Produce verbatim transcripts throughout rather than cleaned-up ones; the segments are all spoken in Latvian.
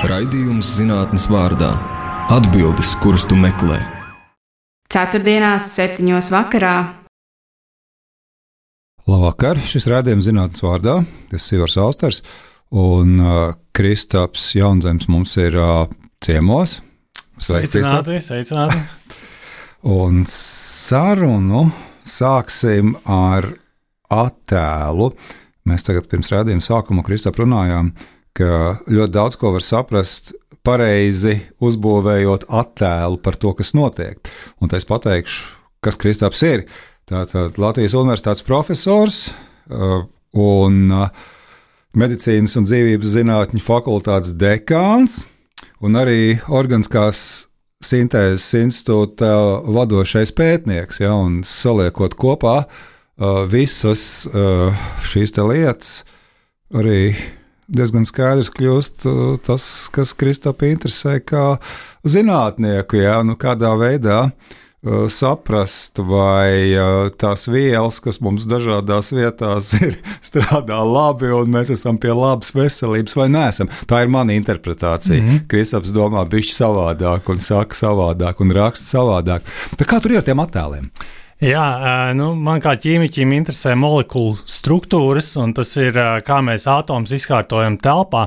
Raidījums zinātnes vārdā. Atbildes, kuras tu meklē. Ceturtdienās, septiņos vakarā. Labvakar, šis raidījums zinātnes vārdā. Es esmu Ivars Austers, un uh, Kristaps Jaunzems mums ir uh, ciemos. Sveiks, sveicināti, sveicināti. Un sarunu sāksim ar attēlu. Mēs tagad pirms raidījuma sākuma Kristap runājām, ka ļoti daudz ko var saprast pareizi uzbūvējot attēlu par to, kas notiek. Un es pateikšu, kas Kristaps ir. Tātad Latvijas Universitātes profesors uh, un uh, medicīnas un dzīvības zinātņu fakultātes dekāns un arī organiskās sintēzes institūta vadošais pētnieks, ja, un saliekot kopā uh, visas uh, šīs te lietas, arī diezgan skaidrs kļūst uh, tas, kas Kristapu interesē kā zinātnieku, ja, nu kādā veidā uh, saprast, vai uh, tās vielas, kas mums dažādās vietās ir, strādā labi, un mēs esam pie labas veselības, vai neesam. Tā ir mana interpretācija. Mm-hmm. Kristaps domā bišķi savādāk, un saka savādāk, un raksta savādāk. Tā kā tur ir ar tiem attēliem? Jā, nu, man kā ķīmiķim interesē molekulu struktūras, un tas ir, kā mēs atomus izkārtojam telpā,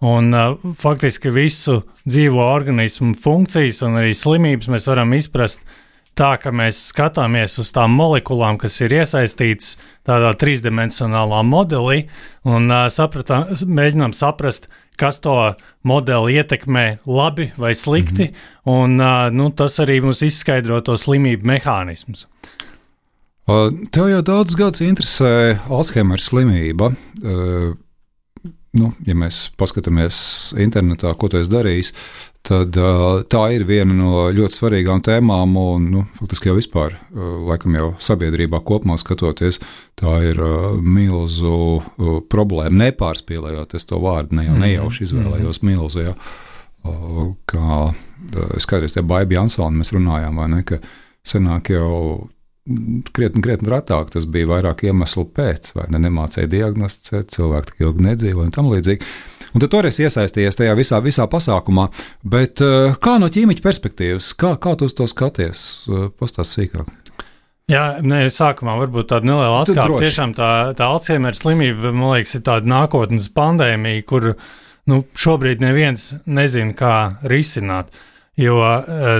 un faktiski visu dzīvo organismu funkcijas un arī slimības mēs varam izprast tā, ka mēs skatāmies uz tām molekulām, kas ir iesaistītas tādā trīsdimensionālā modelī, un sapratā, mēģinām saprast, kas to modeli ietekmē labi vai slikti, mm-hmm. un nu, tas arī mums izskaidro to slimību mehānismus. Tev jau daudz gadus interesē Alzheimera slimība. Nu, ja mēs paskatāmies internetā, ko tu esi darījis, tad tā ir viena no ļoti svarīgām tēmām, un nu, faktiski jau vispār, laikam jau sabiedrībā kopumā skatoties, tā ir milzu problēma, nepārspīlējot es to vārdu, ne jau nejauši izvēlējos milzu, ja, kā es kādreiz tie Baibi Jansoni mēs runājām, vai ne, ka senāk jau krietni, krietni ratāk, tas bija vairāk iemeslu pēc, vai ne, nemācēja diagnosticēt, cilvēki tik ilgi nedzīvoja un tam līdzīgi. Un tad toreiz iesaistījies tajā visā, visā pasākumā, bet kā no ķīmiķa perspektīvas, kā, kā tu uz to skaties? Pastāst sīkāk. Jā, ne, sākumā varbūt tāda neliela atkāpe. Tiešām tā, tā Alzheimera slimība, man liekas, ir tāda nākotnes pandēmija, kur nu, šobrīd neviens nezina, kā risināt. Jo,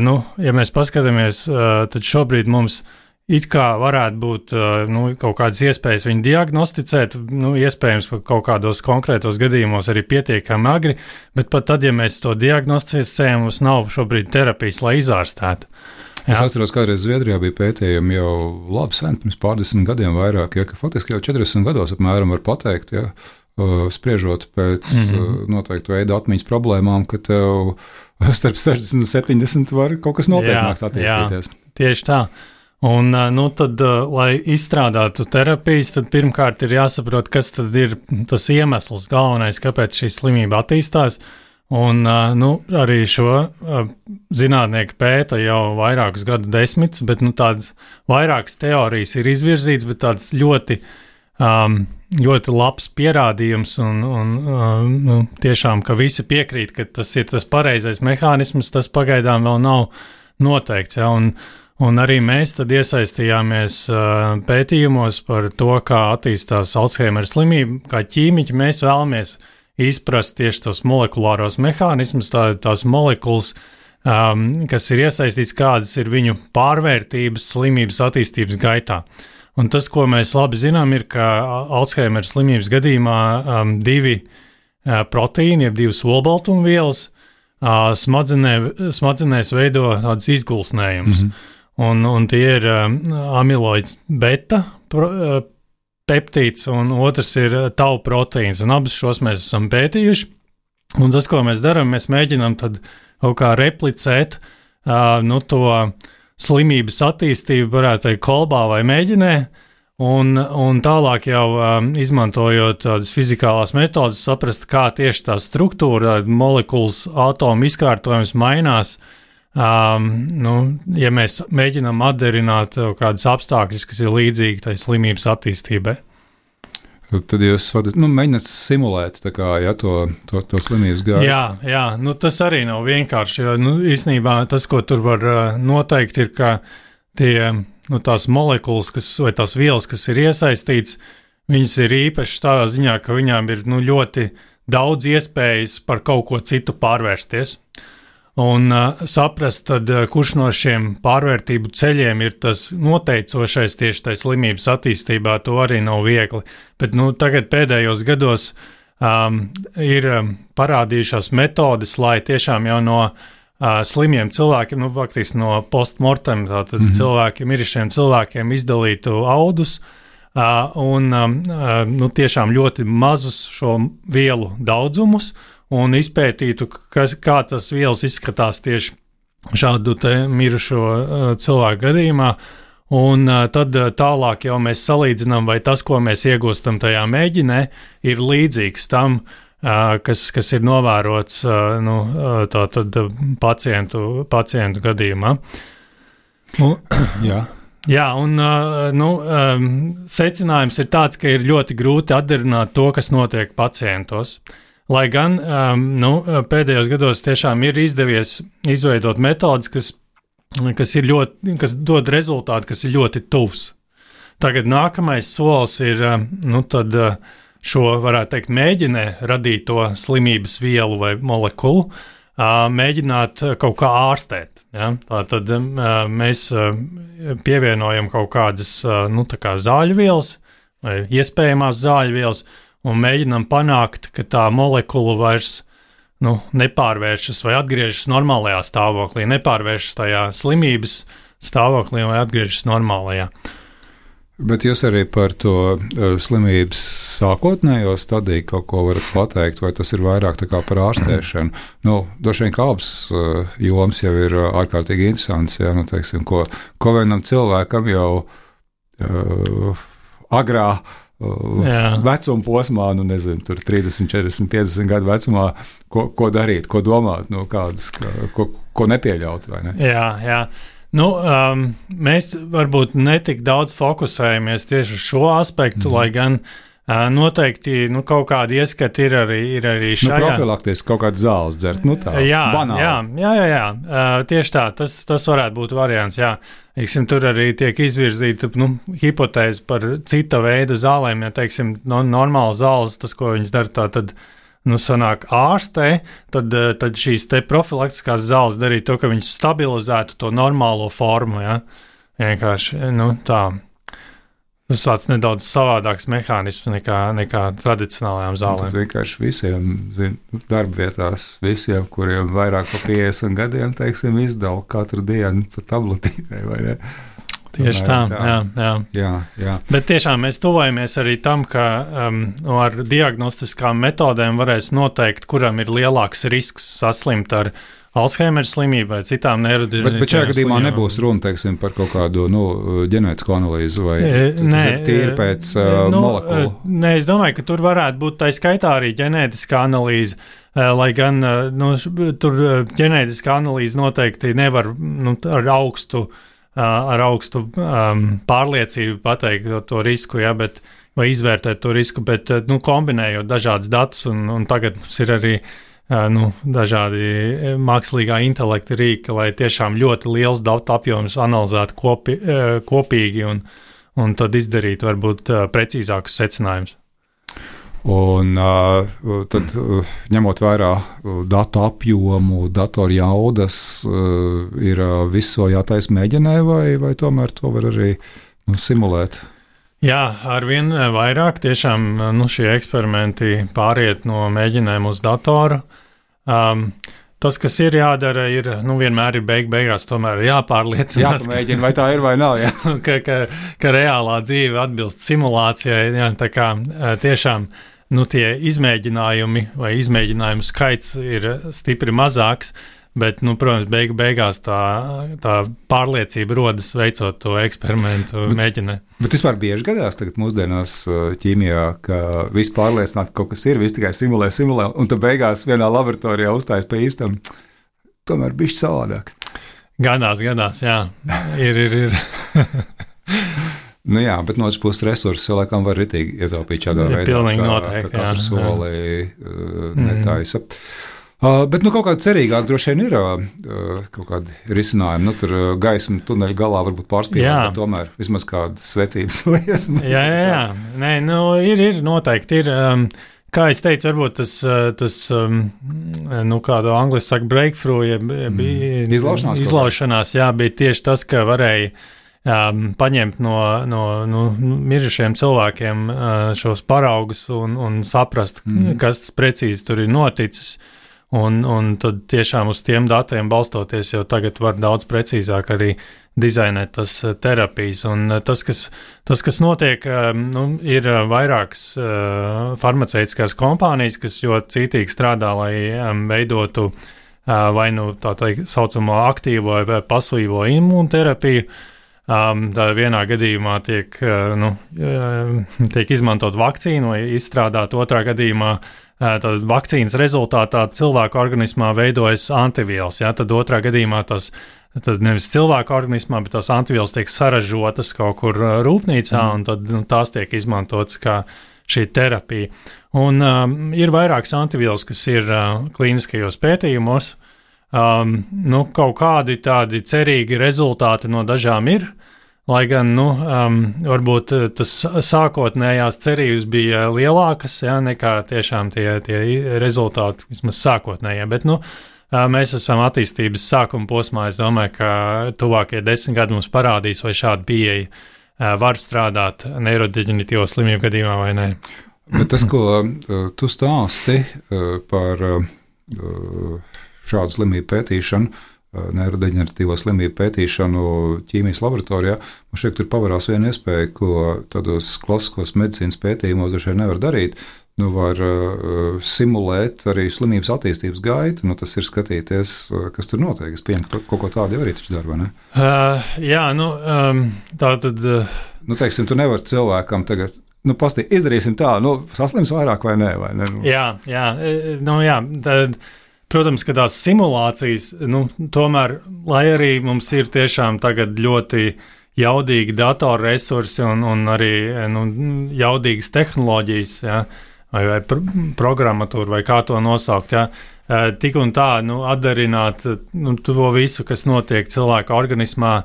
nu, ja mēs paskatāmies, tad šobrīd mums it kā varētu būt nu, kaut kādas iespējas viņu diagnosticēt, nu, iespējams kaut kādos konkrētos gadījumos arī pietiekami agri, bet pat tad, ja mēs to diagnosticējam, mums nav šobrīd terapijas, lai izārstētu. Jā. Es atceros, kādreiz Zviedrijā bija pētījumi jau labi sen, pirms pārdesmit gadiem vairāk, ja, ka faktiski jau četrdesmit gados apmēram var pateikt, ja, spriežot pēc mm-hmm. noteiktu veidu atmiņas problēmām, ka tev starp sešdesmit un septiņdesmit var kaut kas nopietnāks attīstīties. Jā, tieši tā. Un, nu, tad, lai izstrādātu terapijas, tad pirmkārt ir jāsaprot, kas tad ir tas iemesls galvenais, kāpēc šī slimība attīstās. Un, nu, arī šo zinātnieki pēta jau vairākus gadu desmitus, bet nu, tādas vairākas teorijas ir izvirzītas, bet tāds ļoti, um, ļoti labs pierādījums un, un um, nu, tiešām, ka visi piekrīt, ka tas ir tas pareizais mehānisms, tas pagaidām vēl nav noteikts. Ja, un, Un arī mēs tad iesaistījāmies uh, pētījumos par to, kā attīstās Alzheimera slimība. Kā ķīmiķi mēs vēlamies izprast tieši tos molekulāros mehānismus, tā, tās molekulas, um, kas ir iesaistīts, kādas ir viņu pārvērtības slimības attīstības gaitā. Un tas, ko mēs labi zinām, ir, ka Alzheimera slimības gadījumā um, divi uh, proteīni, jeb divas olbaltumvielas uh, smadzenē, smadzenēs veido tādas izgulsnējumus. Mm-hmm. Un, un tie ir um, amiloids beta pro, uh, peptīds, un otrs ir tau proteīns, un abus šos mēs esam pētījuši. Un tas, ko mēs darām, mēs mēģinām tad kaut kā replicēt uh, nu, to slimības attīstību, varētu teikt, kolbā vai mēģinē, un, un tālāk jau um, izmantojot tādas fizikālās metodas, saprast, kā tieši tā struktūra, molekulas, atomu izkārtojums mainās. Um, nu, ja mēs mēģinām atdarināt kādus apstākļus, kas ir līdzīgi tai slimības attīstībai. Tad jūs nu, mēģināt simulēt tā kā, ja, to, to, to slimības gaitu. Jā, jā nu, tas arī nav vienkārši. Jo, nu, īstenībā tas, ko tur var noteikt, ir, ka tie, nu, tās molekulas kas, vai tās vielas, kas ir iesaistītas, viņas ir īpašas tādā ziņā, ka viņām ir nu, ļoti daudz iespējas par kaut ko citu pārvērsties. Un uh, saprast, tad, uh, kurš no šiem pārvērtību ceļiem ir tas noteicošais tieši tai slimības attīstībā, to arī nav viegli. Bet nu, tagad pēdējos gados um, ir um, parādījušās metodes, lai tiešām jau no uh, slimiem cilvēkiem, nu, faktiski no postmortem, tātad mm-hmm. cilvēkiem, mirušiem cilvēkiem izdalītu audus uh, un um, uh, nu, tiešām ļoti mazus šo vielu daudzumus, un izpētītu, kas, kā tas vielas izskatās tieši šādu te mirušo uh, cilvēku gadījumā, un uh, tad uh, tālāk jau mēs salīdzinām, vai tas, ko mēs iegūstam tajā mēģinē, ir līdzīgs tam, uh, kas, kas ir novērots uh, nu, uh, tā tad uh, pacientu, pacientu gadījumā. Un, Jā. Jā, un uh, nu, um, secinājums ir tāds, ka ir ļoti grūti atdarināt to, kas notiek pacientos. Lai gan um, nu, pēdējos gados tiešām ir izdevies izveidot metodas, kas, kas, ir ļoti, kas dod rezultātu, kas ir ļoti tuvs. Tagad nākamais solis ir nu, tad, šo, varētu teikt, mēģinē radīt to slimības vielu vai molekulu, mēģināt kaut kā ārstēt. Ja? Tātad mēs pievienojam kaut kādas nu, tā kā zāļu vielas vai iespējamās zāļu vielas, un mēģinām panākt, ka tā molekula vairs nu, nepārvēršas vai atgriežas normālajā stāvoklī, nepārvēršas tajā slimības stāvoklī vai atgriežas normālajā. Bet jūs arī par to uh, slimības sākotnējo stadiju kaut ko varat pateikt, vai tas ir vairāk tā kā par ārstēšanu? Nu, droši vien kā abas uh, jomas jau ir uh, ārkārtīgi interesants, ja, nu, teiksim, ko, ko vienam cilvēkam jau uh, agrā Jā. vecuma posmā, nu nezinu, tur trīsdesmit, četrdesmit, piecdesmit gadu vecumā, ko, ko darīt, ko domāt, nu kādas, ko, ko nepieļaut, vai ne? Jā, jā. Nu, um, mēs varbūt netik daudz fokusējamies tieši uz šo aspektu, mm. lai gan uh, noteikti nu, kaut kādi ieskati ir arī, ir arī šajā. Nu, profilaktiski kaut kāds zāles dzert, nu tā, jā, banāli. Jā, jā, jā, jā. Uh, tieši tā, tas, tas varētu būt variants, jā. Teiksim, tur arī tiek izvirzīta nu, hipotēze par cita veida zālēm. Ja, teiksim, no, normāla zāles, tas, ko viņas dara, tā tad nu, sanāk ārstē, tad, tad šīs te profilaktiskās zāles darīja to, ka viņas stabilizētu to normālo formu. Ja. Vienkārši, nu, tā. Tas tāds nedaudz savādāks mehānisms nekā, nekā tradicionālajām zālēm. Tad vienkārši visiem zin, darba vietās, visiem, kuriem vairāk par piecdesmit gadiem, teiksim, izdala katru dienu pa tabletītei, vai ne? Tieši tā, tā. Jā, jā. jā, jā. Bet tiešām mēs tuvojamies arī tam, ka um, ar diagnostiskām metodēm varēs noteikt, kuram ir lielāks risks saslimt ar Alzheimer slimību vai citām neirodeģenerētām bet, bet šajā gadījumā nebūs runa, teiksim, par kaut kādu nu, ģenētisko analīzi vai nē, tīri pēc uh, nu, molekulu? Nē, es domāju, ka tur varētu būt tā skaitā arī ģenētiskā analīze, lai gan nu, tur ģenētiskā analīze noteikti nevar nu, ar augstu, ar augstu um, pārliecību pateikt to, to risku, ja, bet, vai izvērtēt to risku, bet nu, kombinējot dažādas datus, un, un tagad mums ir arī nu, dažādi mākslīgā intelekta rīki, lai tiešām ļoti liels datu apjoms analizētu kopi, kopīgi un, un tad izdarīt varbūt precīzākus secinājumus. Un uh, tad, uh, ņemot vērā uh, datu apjomu, datoru jaudas, uh, ir uh, visu jātaisa mēģinē, vai, vai tomēr to var arī nu, simulēt? Jā, arvien vairāk tiešām nu, šie eksperimenti pāriet no mēģinēm uz datoru. Um, tas, kas ir jādara, ir nu, vienmēr ir beig beigās tomēr jāpārliecinās. Jāpamēģina, vai tā ir vai nav. Jā. ka, ka, ka reālā dzīve atbilst simulācijai. Jā, tā kā tiešām nu, tie izmēģinājumi vai izmēģinājumu skaits ir stipri mazāks. Bet, nu, protams, beigu beigās tā, tā pārliecība rodas veicot to eksperimentu mēģinē. Bet vispār bieži gadās tagad mūsdienās ķīmijā, ka viss pārliecināt, ka kaut kas ir, viss tikai simulē, simulē, un tad beigās vienā laboratorijā uzstājas pa īstam, tomēr bišķi savādāk. Gadās, gadās, jā. ir, ir, ir. Nu jā, bet no otras puses resursus laikam var ritīgi ietaupīt šādā veidā. Pilnīgi kā, noteikti, ka katru jā, soli uh, netaisa. Uh, bet nu, kaut kāda cerīgāka droši vien ir uh, kaut kādi risinājumi. Nu, tur uh, gaisma tuneļa galā varbūt pārspīlēt, bet tomēr vismaz kādas svecītas liesmas. Jā, jā, jā. Nē, nu, ir, ir noteikti. Ir, um, kā es teicu, varbūt tas, tas um, nu, kādu angliski saka, breakthrough, ja bija mm. izlaušanās, izlaušanās jā, bija tieši tas, ka varēja Um, paņemt no, no, no mirušiem cilvēkiem uh, šos paraugus un, un saprast, mm. kas precīzi tur ir noticis. Un, un tad tiešām uz tiem datiem balstoties, jau tagad var daudz precīzāk arī dizainēt tas uh, terapijas. Un uh, tas, kas, tas, kas notiek, uh, nu, ir uh, vairākas uh, farmaceitiskās kompānijas, kas ļoti cītīgi strādā, lai um, veidotu uh, vai nu tā teikt saucamo aktīvo vai pasīvo imūnterapiju. Um, tā vienā gadījumā tiek, uh, nu, uh, tiek izmantot vakcīnu vai izstrādāt, otrā gadījumā uh, tad vakcīnas rezultātā cilvēku organismā veidojas antivielas. Ja? Tad otrā gadījumā tas tad nevis cilvēku organismā, bet tās antivielas tiek saražotas kaut kur uh, rūpnīcā, mm. un tad nu, tās tiek izmantotas kā šī terapija. Un um, ir vairākas antivielas, kas ir uh, klīniskajos pētījumos. Um, nu, kaut kādi tādi cerīgi rezultāti no dažām ir, lai gan, nu, um, varbūt tas sākotnējās cerības bija lielākas, ja, nekā tiešām tie, tie rezultāti, vismaz sākotnējie, bet, nu, mēs esam attīstības sākuma posmā, es domāju, ka tuvākie desmit gadi mums parādīs, vai šāda pieeja var strādāt neirodeģenitīvo slimību gadījumā vai nē. Bet tas, ko uh, tu stāsti uh, par uh, šādu slimību pētīšanu, neirodeģeneratīvo slimību pētīšanu ķīmijas laboratorijā, man šeit tur pavarās viena iespēja, ko tādos klasiskos medicīnas pētījumos droši vien nevar darīt. Nu, var uh, simulēt arī slimības attīstības gaitu, nu, tas ir skatīties, uh, kas tur notiek. Es pieņemu, ka kaut ko tādu jau arī taču dara, vai ne? Uh, jā, nu, um, tā tad... Uh... Nu, teiksim, tu nevar cilvēkam tagad, nu, pastī, izdarīsim tā, nu, saslims vairāk vai nē, vai ne? Nu. Jā, jā, nu, jā, tad... Protams, ka tās simulācijas, nu, tomēr, lai arī mums ir tiešām tagad ļoti jaudīgi datorresursi un, un arī nu, jaudīgas tehnoloģijas, ja, vai, vai pr- programmatūra, vai kā to nosaukt, ja, tik un tā, nu, atdarināt nu, to visu, kas notiek cilvēka organismā,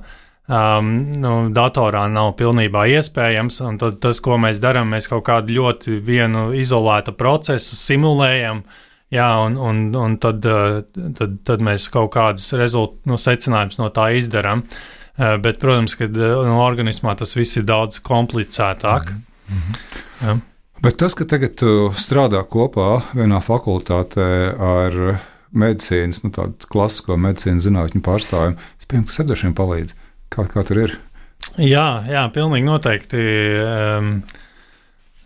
um, nu, datorā nav pilnībā iespējams, un tad tas, ko mēs darām, mēs kaut kādu ļoti vienu izolētu procesu simulējam. Jā, un, un, un tad, tad, tad mēs kaut kādus rezult, nu, secinājumus no tā izdarām. Bet, protams, ka no organismā tas viss ir daudz komplicētāk. Mm-hmm. Jā. Bet tas, ka tagad tu strādā kopā vienā fakultātē ar medicīnas, nu, tādu klasisko medicīnas zinātņu pārstāvjiem, es pieņemu, ka sedošiem palīdz. Kā, kā tur ir? Jā, jā, pilnīgi noteikti. Um,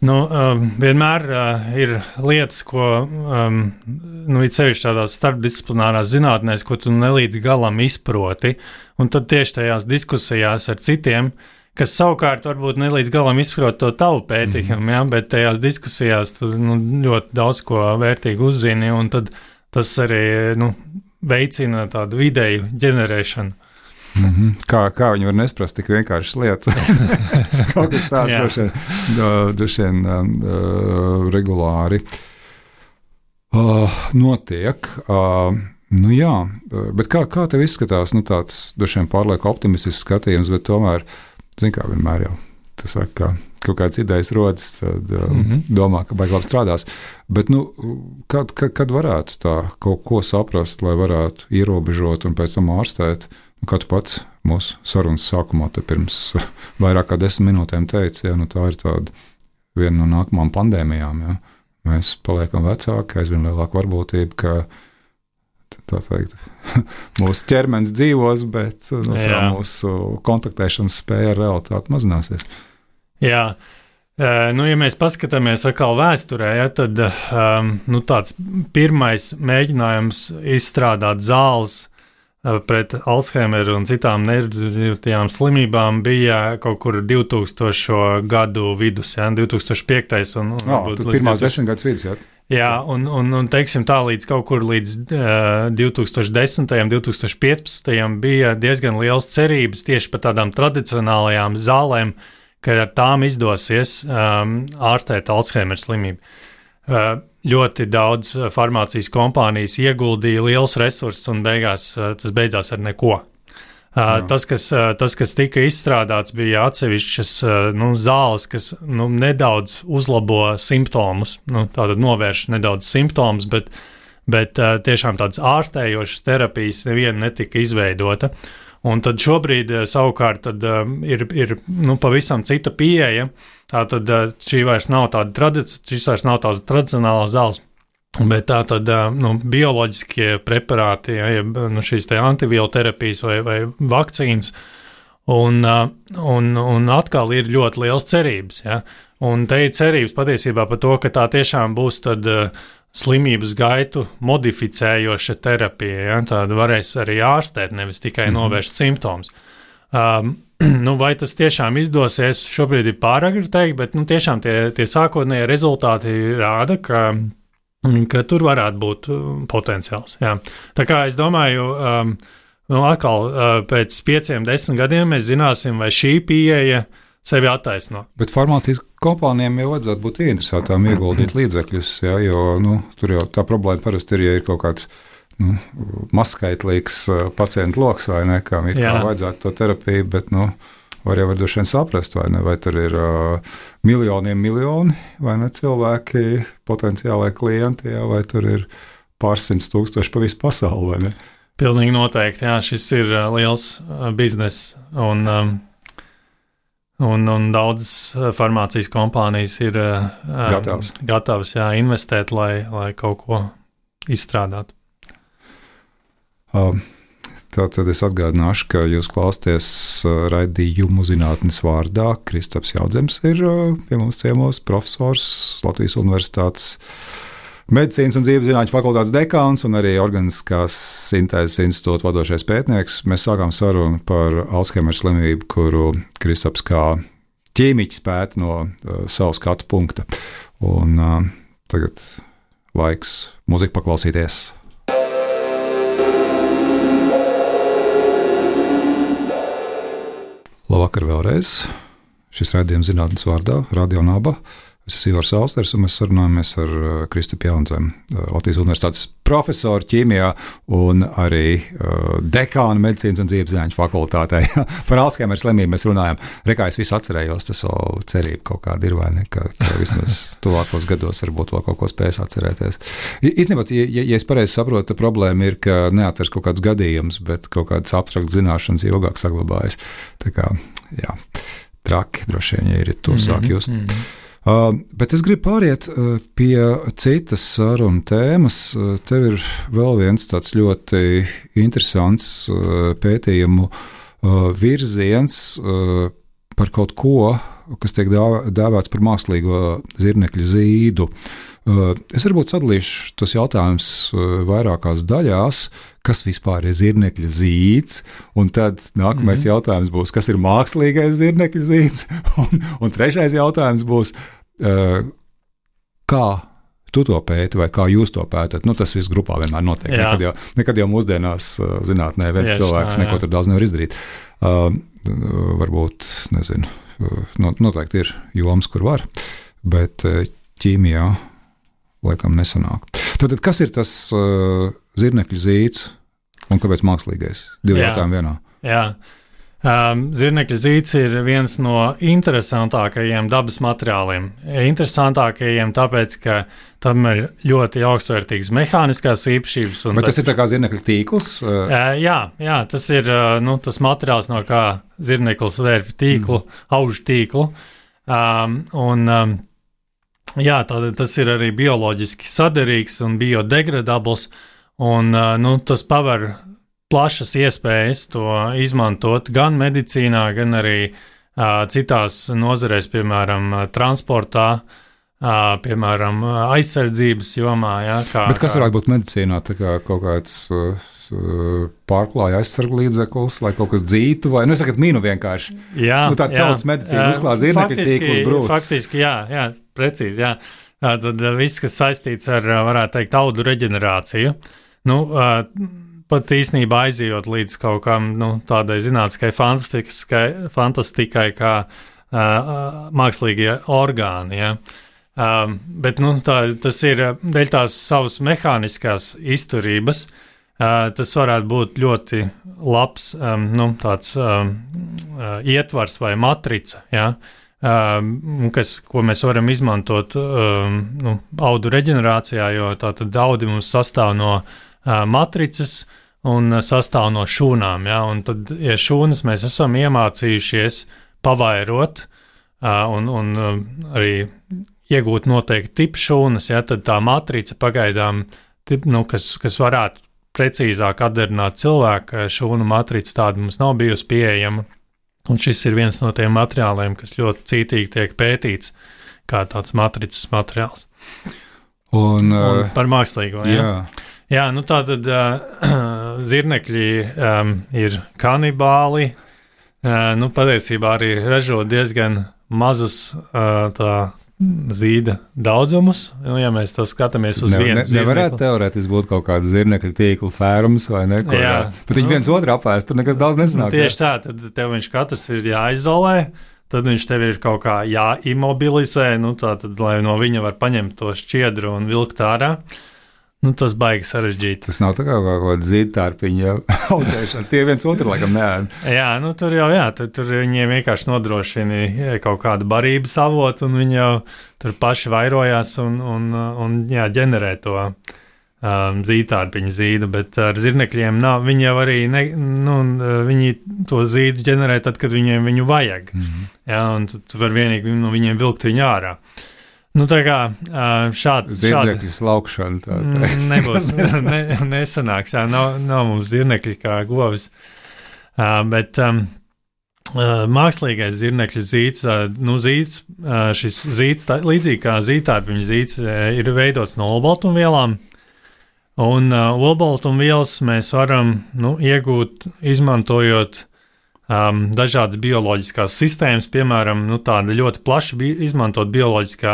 Nu, um, vienmēr uh, ir lietas, ko um, nu, ir sevišķi tādās starpdisciplinārās zinātnēs, ko tu nelīdz galam izproti, un tad tieši tajās diskusijās ar citiem, kas savukārt varbūt nelīdz galam izprot to tavu pētījumu, mm-hmm. ja, bet tajās diskusijās tu nu, ļoti daudz ko vērtīgi uzzini, un tad tas arī nu, veicina tādu ideju ģenerēšanu. Mm-hmm. Kā, kā viņi var nesprast tik vienkāršas lietas? Kaut kas tāds droši vien, droši vien uh, regulāri uh, notiek. Uh, nu jā, bet kā, kā tev izskatās, nu tāds droši vien pārlieku optimistisks skatījums, bet tomēr, zin kā vienmēr jau, tu saki, ka kaut kāds idejas rodas, tad uh, mm-hmm. domā, ka baigi labi strādās. Bet, nu, kad, kad, kad varētu tā kaut ko saprast, lai varētu ierobežot un pēc tam ārstēt? Kā tu pats mūsu sarunas sākumā te pirms vairāk kā desmit minūtēm teici, ja, nu tā ir tāda viena no nākamām pandēmijām. Ja. Mēs paliekam vecāki, aizvien lielāka varbūtība, ka tā teikt, mūsu ķermenis dzīvos, bet nu, tā mūsu kontaktēšanas spēja ar realitāti mazināsies. Jā. Nu, ja mēs paskatāmies atkal vēsturē, ja, tad um, nu, tāds pirmais mēģinājums izstrādāt zāles pret Alzheimeru un citām neirodeģeneratīvām slimībām bija kaut kur divtūkstošo gadu vidus, ja, divtūkstoš piektais un, un oh, pirmās desmitgades vidus, jā. Jā, un, un, un teiksim tā, līdz kaut kur līdz uh, divtūkstoš desmitajam, divtūkstoš piecpadsmitajam bija diezgan liels cerības tieši par tādām tradicionālajām zālēm, ka ar tām izdosies um, ārstēt Alzheimer slimību. Uh, ļoti daudz farmācijas kompānijas ieguldīja liels resursus un beigās uh, tas beidzās ar neko. Uh, tas, kas, uh, tas, kas tika izstrādāts, bija atsevišķas uh, nu, zāles, kas nu, nedaudz uzlabo simptomus, nu, tātad novērš nedaudz simptomus, bet, bet uh, tiešām tādas ārstējošas terapijas neviena netika izveidota. Un tad šobrīd uh, savukārt tad, uh, ir, ir nu, pavisam cita pieeja. Tātad uh, šī vairs nav tāda tradici- šis vairs nav tās tradicionālās zāles. Bet tā tad nu, bioloģiskie preparāti, ja, nu, šīs te antivieloterapijas vai, vai vakcīnas, un, un, un atkal ir ļoti liels cerības. Ja. Un te ir cerības patiesībā par to, ka tā tiešām būs tad slimības gaitu modificējoša terapija. Ja. Tāda varēs arī ārstēt, nevis tikai mm-hmm. novērst simptomus. Um, nu, vai tas tiešām izdosies, šobrīd ir pāragri teikt, bet nu, tiešām tie, tie sākotnējie rezultāti rāda, ka ka tur varētu būt potenciāls. Jā. Tā kā es domāju, um, nu, atkal uh, pēc pieciem, desmit gadiem mēs zināsim, vai šī pieeja sevi attaisno. Bet farmācijas kompānijām jau vajadzētu būt interesētām ieguldīt līdzekļus, jā, jo nu, tur jau tā problēma parasti ir, ja ir kaut kāds nu, mazskaitlīgs uh, pacientu loks, vai ne, kam ir kā vajadzētu to terapiju, bet, nu, var jau var droši vien saprast, vai ne, vai tur ir uh, miljoniem miljoni, vai ne, cilvēki, potenciālai klienti, jā, vai tur ir pārsimts tūkstoši pa visu pasauli, vai ne? Pilnīgi noteikti, jā, šis ir uh, liels uh, biznes, un, um, un, un daudzas farmācijas kompānijas ir uh, gatavs, gatavs jā, investēt, lai, lai kaut ko izstrādātu. Um. Tātad es atgādināšu, ka jūs klausāties raidījumu zinātnes vārdā. Kristaps Jaudzems ir pie mums ciemos, profesors, Latvijas Universitātes medicīnas un dzīveszinātņu fakultātes dekāns un arī Organiskās sintēzes institūta vadošais pētnieks. Mēs sākām sarunu par Alzheimer slimību, kuru Kristaps kā ķīmiķis pēta no uh, savu skatu punkta. Un uh, tagad laiks mūziku paklausīties. Labvakar vēlreiz. Šis raidījums zinātnes vārdā, Radio Naba. Es esmu Ivars Austers, un mēs sarunājamies ar Kristapu Jaunzemi, Latvijas Universitātes profesoru ķīmijā un arī uh, dekānu medicīnas un dzīveszinātņu fakultātē. Par Alzheimer slimību mēs runājam. Rekā es visu atcerējos, tas vēl cerība kaut kāda ir, vai ne, ka, ka vismaz tuvākos gados varbūt vēl kaut ko spēs atcerēties. Īstenībā, ja, ja es pareizi saprotu, tā problēma ir, ka neatceras kaut kāds gadījums, bet kaut kādas abstraktas zināšanas ilgāk saglabājas. Tā kā, jā, traki droši vien, ja ir to mm-hmm, sāk just. Mm-hmm. Uh, bet es gribu pāriet uh, pie citas sarunu tēmas. Uh, tev ir vēl viens tāds ļoti interesants uh, pētījumu uh, virziens uh, par kaut ko, kas tiek dēvēts par mākslīgo zirnekļa zīdu. Uh, es varbūt sadalīšu tos jautājumus uh, vairākās daļās, kas vispār ir zirnekļa zīds, un tad nākamais mm-hmm. jautājums būs, kas ir mākslīgais zirnekļa zīds, un, un trešais jautājums būs, uh, kā tu to pēti vai kā jūs to pētat. Nu, tas viss grupā vienmēr notiek. Nekad jau, nekad jau mūsdienās uh, zinātnē viens Tieši, cilvēks jā, jā. neko tur daudz nevar izdarīt. Uh, varbūt, nezinu, uh, noteikti ir jomas, kur var, bet uh, ķīmijā laikam nesanāk. Tātad, kas ir tas uh, zirnekļa zīds un kāpēc mākslīgais? Divi jautājumi vienā. Jā. Um, zirnekļa zīds ir viens no interesantākajiem dabas materiāliem. Interesantākajiem tāpēc, ka tam ir ļoti augstvērtīgas mehāniskās īpašības. Un Bet tas ir tā kā zirnekļa tīkls? Uh, jā, jā, tas ir uh, nu, tas materiāls, no kā zirneklis vērp tīklu, mm. aužu tīklu. Um, un um, Jā, tā, tas ir arī bioloģiski saderīgs un biodegradabls, un nu, tas paver plašas iespējas to izmantot gan medicīnā, gan arī uh, citās nozarēs, piemēram, transportā, uh, piemēram, aizsardzības jomā. Jā, kā, Bet kas varētu būt medicīnā, tā kā kaut kāds uh, pārklāja aizsargu līdzeklis, lai kaut kas dzītu, vai, nu, es sakat, mīnu vienkārši. Jā, nu, tā tautas medicīna uzklāt zirnekļa tīklus brūcis. Faktiski, jā, jā, precīzi, jā. Tad viss, kas saistīts ar, varētu teikt, audu reģenerāciju, nu, pat īstenībā aizījot līdz kaut kam, nu, tādai zinātniskai fantastikai, fantastikai kā uh, mākslīgie orgāni. Ja? Um, bet nu, tā, tas ir dēļ tās savas mehāniskās izturības. Uh, tas varētu būt ļoti labs um, nu, tāds um, uh, ietvars vai matrica, ja? um, kas, ko mēs varam izmantot um, nu, audu reģenerācijā, jo tātad audi mums sastāv no uh, matricas un sastāv no šūnām. Ja? Un tad, ja šūnas mēs esam iemācījušies pavairot uh, un, un uh, arī iegūt noteikti tipu šūnas, ja, tad tā matrica pagaidām, tip, nu, kas, kas varētu precīzāk atdarināt cilvēku, šūnu matrica tāda mums nav bijusi pieejama. Un šis ir viens no tiem materiāliem, kas ļoti cītīgi tiek pētīts kā tāds matricas materiāls. Un, un par mākslīgo, ja? Jā. Jā, nu tā tad uh, zirnekļi um, ir kanibāli, uh, nu patiesībā arī ražo diezgan mazus uh, tā zīda daudzumus, nu, ja mēs to skatāmies uz ne, vienu ne, zirnekli. Nevarētu teorētiski būt kaut kāda zirnekļa tīkla fērums vai ne? Jā. Bet viņi viens otru apēst, tur nekas daudz nesanāk. Nu, tieši tā, tad tev viņš katrs ir jāizolē, tad viņš tev ir kaut kā jāimobilizē, nu tā tad, lai no viņa var paņemt to šķiedru un vilkt ārā. Nu, tas baigi sarežģīti. Tas nav tā kā kaut kāda zīdtārpiņa audzēšana. Tie viens otru laikam neēd. Jā, nu tur jau, jā, tur, tur viņiem vienkārši nodrošina kaut kādu barības avotu, un viņi jau tur paši vairojās un, un, un jā, ģenerē to um, zīdtārpiņu zīdu, bet ar zirnekļiem nav, viņi jau arī, ne, nu, viņi to zīdu ģenerē tad, kad viņiem viņu vajag. Mm-hmm. Jā, un tu, tu var vienīgi no viņiem vilkt viņu ārā. Nu, tā kā šādi... Zirnekļu slaukšana tā. tā. Nebūs, ne, nesanāks, jā, nav, nav mums zirnekļi kā govis. Uh, bet um, uh, mākslīgais zirnekļu zīds, uh, nu zīds, uh, šis zīds, tā, līdzīgi kā zīdtārpiņu zīds, uh, ir veidots no olbaltumvielām, un uh, olbaltumvielas mēs varam, nu, iegūt, izmantojot Um, dažādas bioloģiskās sistēmas, piemēram, nu, tāda ļoti plaši bi- izmantot bioloģiskā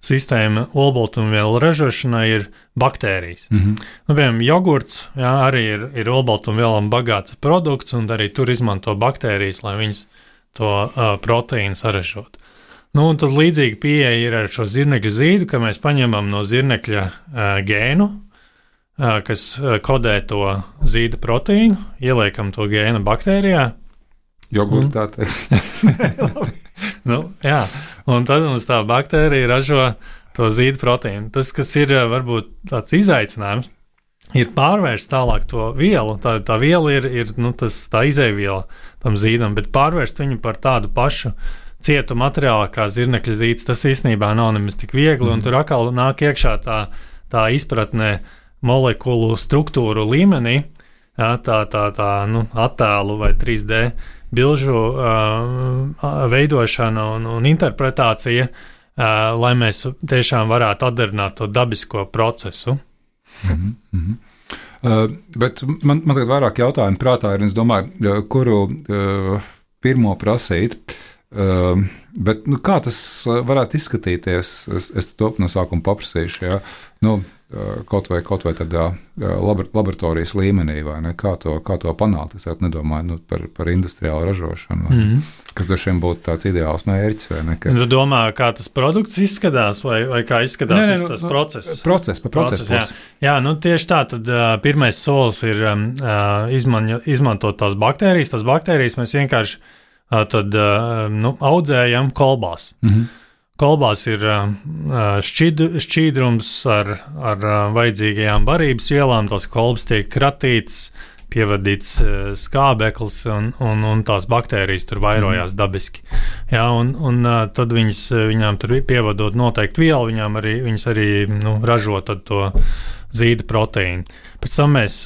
sistēma olbaltumvielu ražošanai ir baktērijas. Mm-hmm. Nu, piemēram, jogurts, jā, arī ir, ir olbaltumvielām bagāts produkts, un arī tur izmanto baktērijas, lai viņas to uh, proteīnu saražot. Nu, un tad līdzīga pieeja ir ar šo zirnekļa zīdu, ka mēs paņemam no zirnekļa uh, gēnu, uh, kas uh, kodē to zīda proteīnu, ieliekam to gēnu baktērijā, Jogurts tā teiks. nu, jā, un tad mums tā baktērija ražo to zīdu proteīnu. Tas, kas ir varbūt tāds izaicinājums, ir pārvērst tālāk to vielu. Tā, tā viela ir, ir nu, tas, tā izēviela tam zīdam, bet pārvērst viņu par tādu pašu cietu materiālu kā zirnekļa zīds, tas īstenībā nav nemaz tik viegli, mm. un tur atkal nāk iekšā tā, tā izpratnē molekulu struktūru līmenī, jā, tā, tā, tā nu, attēlu vai trīs D bilžu uh, veidošana un, un interpretācija, uh, lai mēs tiešām varētu atdarināt to dabisko procesu. Mm-hmm. Mm-hmm. Uh, bet man, man tagad vairāk jautājumu prātā ir, un es domāju, kuru uh, pirmo prasīt. Uh, bet nu, kā tas varētu izskatīties? Es, es to no sākuma paprasīšu. Ja? Nu, kaut vai, kaut vai tādā laboratorijas līmenī, vai ne? Kā to, kā to panākt? Es nedomāju nu, par, par industriālu ražošanu, vai, mm. kas dažiem būtu tāds ideāls mērķis. Vai ne? Ka... Tu domā, kā tas produkts izskatās, vai, vai kā izskatās ne, ne, tas nu, process? Process, pa procesu. Process, jā. jā, nu tieši tā, tad uh, pirmais solis ir um, uh, izman, izmantot tās baktērijas. Tās baktērijas mēs vienkārši uh, tad, uh, nu, audzējam kolbās. Mm-hmm. Kolbās ir šķid, šķīdrums ar, ar vajadzīgajām barības vielām, tās kolbas tiek kratītas, pievadīts skābeklis, un, un, un tās baktērijas tur vairojās mm. dabiski. Jā, un, un tad viņas, viņām tur pievadot noteikti vielu, viņām arī, viņas arī nu, ražo tad to zīda proteīnu. Pēc tam mēs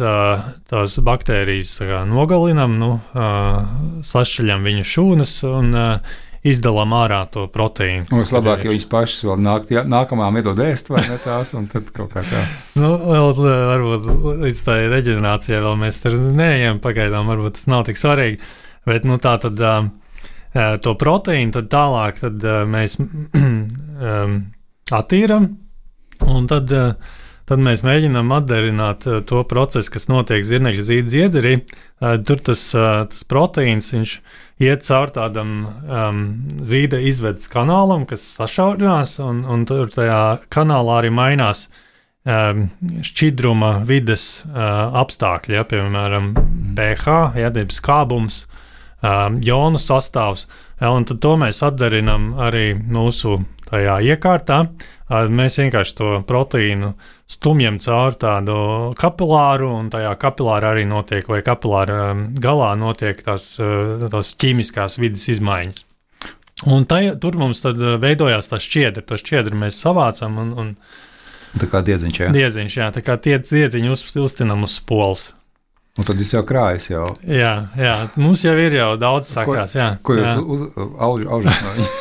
tās baktērijas nogalinam, nu, sašķeļam viņu šūnas un izdalām ārā to proteīnu. Mums labāk, ja viņas pašas vēl nāk, jā, nākamām iedod ēst, vai ne tās, un tad kaut kā tā. Nu, vēl, varbūt līdz tā reģenerācijai vēl mēs tur neejam pagaidām, varbūt tas nav tik svarīgi, bet, nu, tā tad to proteīnu tad tālāk tad mēs um, attīram, un tad, tad mēs mēģinām atdarināt to procesu, kas notiek zirnekļa zīda dziedzerī. Tur tas, tas proteīns, viņš iet caur tādam um, zīda izvedes kanālam, kas sašaurinās, un, un tur tajā kanālā arī mainās um, šķidruma vides uh, apstākļi, ja, piemēram, pH, ja, skābums, um, jonu sastāvs, ja, un tad to mēs atdarinām arī mūsu tajā iekārtā. Mēs vienkārši to proteīnu stumjam caur tādu kapilāru, un tajā kapilāra arī notiek, vai kapilāra galā notiek tās, tās ķīmiskās vidas izmaiņas. Un tajā, tur mums tad veidojās tā šķiedra, to šķiedru mēs savācam, un, un tā kā diedziņš, jā? Diedziņš, jā, tā kā tie diedziņu uz, uztinam uz spoles. Un tad jūs jau krājas jau. Jā, jā, mums jau ir jau daudz sakās, jā. Ko, ko jūs jā. Uz, auž, aužat no viņa?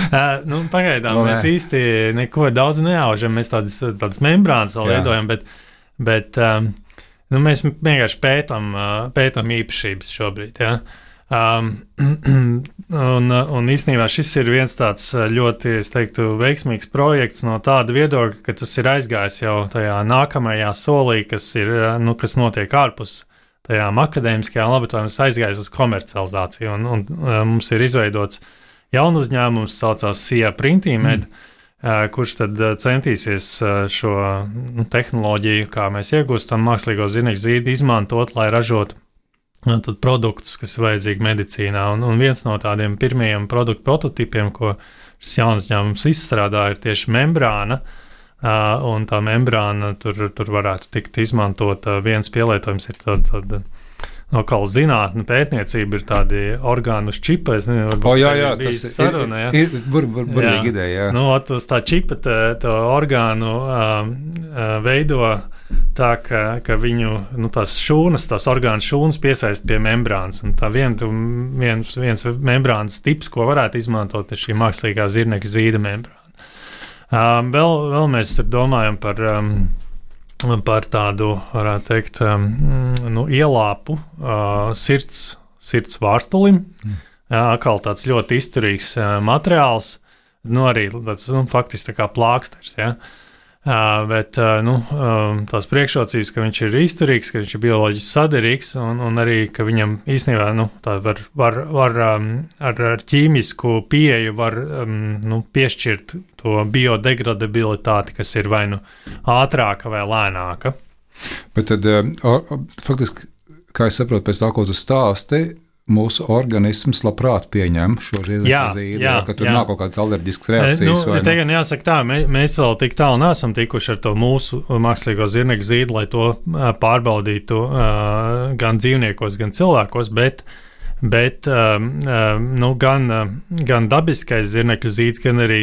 Uh, nu, pagaidām no, mēs nē. īsti neko daudz neaužam, mēs tādas, tādas membrānas vēl veidojam, bet, bet um, nu, mēs vienkārši pētam, uh, pētam īpašības šobrīd. Ja? Um, un, un īstenībā šis ir viens tāds ļoti, es teiktu, veiksmīgs projekts no tāda viedokļa, ka tas ir aizgājis jau tajā nākamajā solī, kas, ir, nu, kas notiek ārpus tajām akadēmiskajām laboratorijām, aizgājis uz komercializāciju, un, un uh, mums ir izveidots jaunu uzņēmums, saucās Sija Printīmed, mm. kurš tad centīsies šo nu, tehnoloģiju, kā mēs iegūstam mākslīgo zirnekļa zīdi, izmantot, lai ražotu tad produktus, kas ir vajadzīgi medicīnā. Un, un viens no tādiem pirmajiem produktu prototipiem, ko šis jauns uzņēmums izstrādā, ir tieši membrāna, un tā membrāna tur, tur varētu tikt izmantota. Viens pielietojums ir tad, tad no kā zinātne, pētniecība ir tādi orgānu čipa, es nezinu, varbūt o, jā, jā, tas saruna, ir, ir, ir bur, bur, burvīgi ideja, jā. Nu, uz tā čipa tā, tā orgānu um, veido tā, ka, ka viņu, nu, tās šūnas, tās orgānu šūnas piesaist pie membrānas, un tā vien, viens, viens membrānas tips, ko varētu izmantot, ir šī mākslīgā zirnekļa zīda membrāna. Um, vēl, vēl mēs tur domājam par um, par tādu, varētu teikt, um, nu, ielāpu uh, sirds, sirds vārstulim. Mm. Jā, atkal tāds ļoti izturīgs uh, materiāls, nu, arī tāds, nu, faktiski tā kā plāksters, ja. Uh, bet, uh, nu, um, tās priekšrocības, ka viņš ir izturīgs, ka viņš ir bioloģiski saderīgs, un, un arī, ka viņam īstenībā, nu, tā var, var, var um, ar, ar ķīmisku pieeju var, um, nu, piešķirt to biodegradabilitāti, kas ir vai nu ātrāka vai lēnāka. Bet tad, uh, faktiski, kā es saprotu, pēc tā, ko tu stāsti, mūsu organisms labprāt pieņem šo zirnekļa zīdi, jā, ka tur jā. Nav kaut kādas alerģiskas reakcijas. Nu, te gan jāsaka tā, mē, mēs vēl tik tālu neesam tikuši ar to mūsu mākslīgo zirnekļa zīdi, lai to pārbaudītu uh, gan dzīvniekos, gan cilvēkos, bet, bet uh, nu, gan, uh, gan dabiskais zirnekļa zīds, gan arī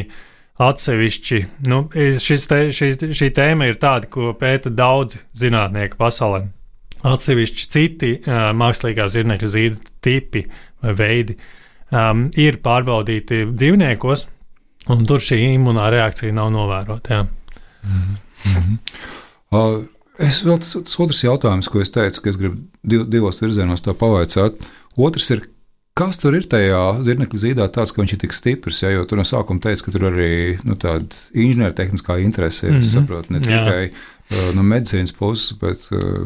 atsevišķi, nu, šis te, šī, šī tēma ir tāda, ko pēta daudzi zinātnieki pasaulē. Atsevišķi citi uh, mākslīgā zirnekļa zīda tipi vai veidi um, ir pārbaudīti dzīvniekos, un tur šī imunā reakcija nav novērota. Mm-hmm. Uh, es vēl tas, tas otrs jautājums, ko es teicu, ka es gribu div, divos virzienos to pavaicāt. Otrs ir, kas tur ir tajā zirnekļa zīdā tāds, ka viņš ir tik stiprs, ja, jo tur no sākuma teica, ka tur arī nu, tāda inženiertehniskā interese ir, mm-hmm. saprot, ne tikai Jā. No medicīnas puses, bet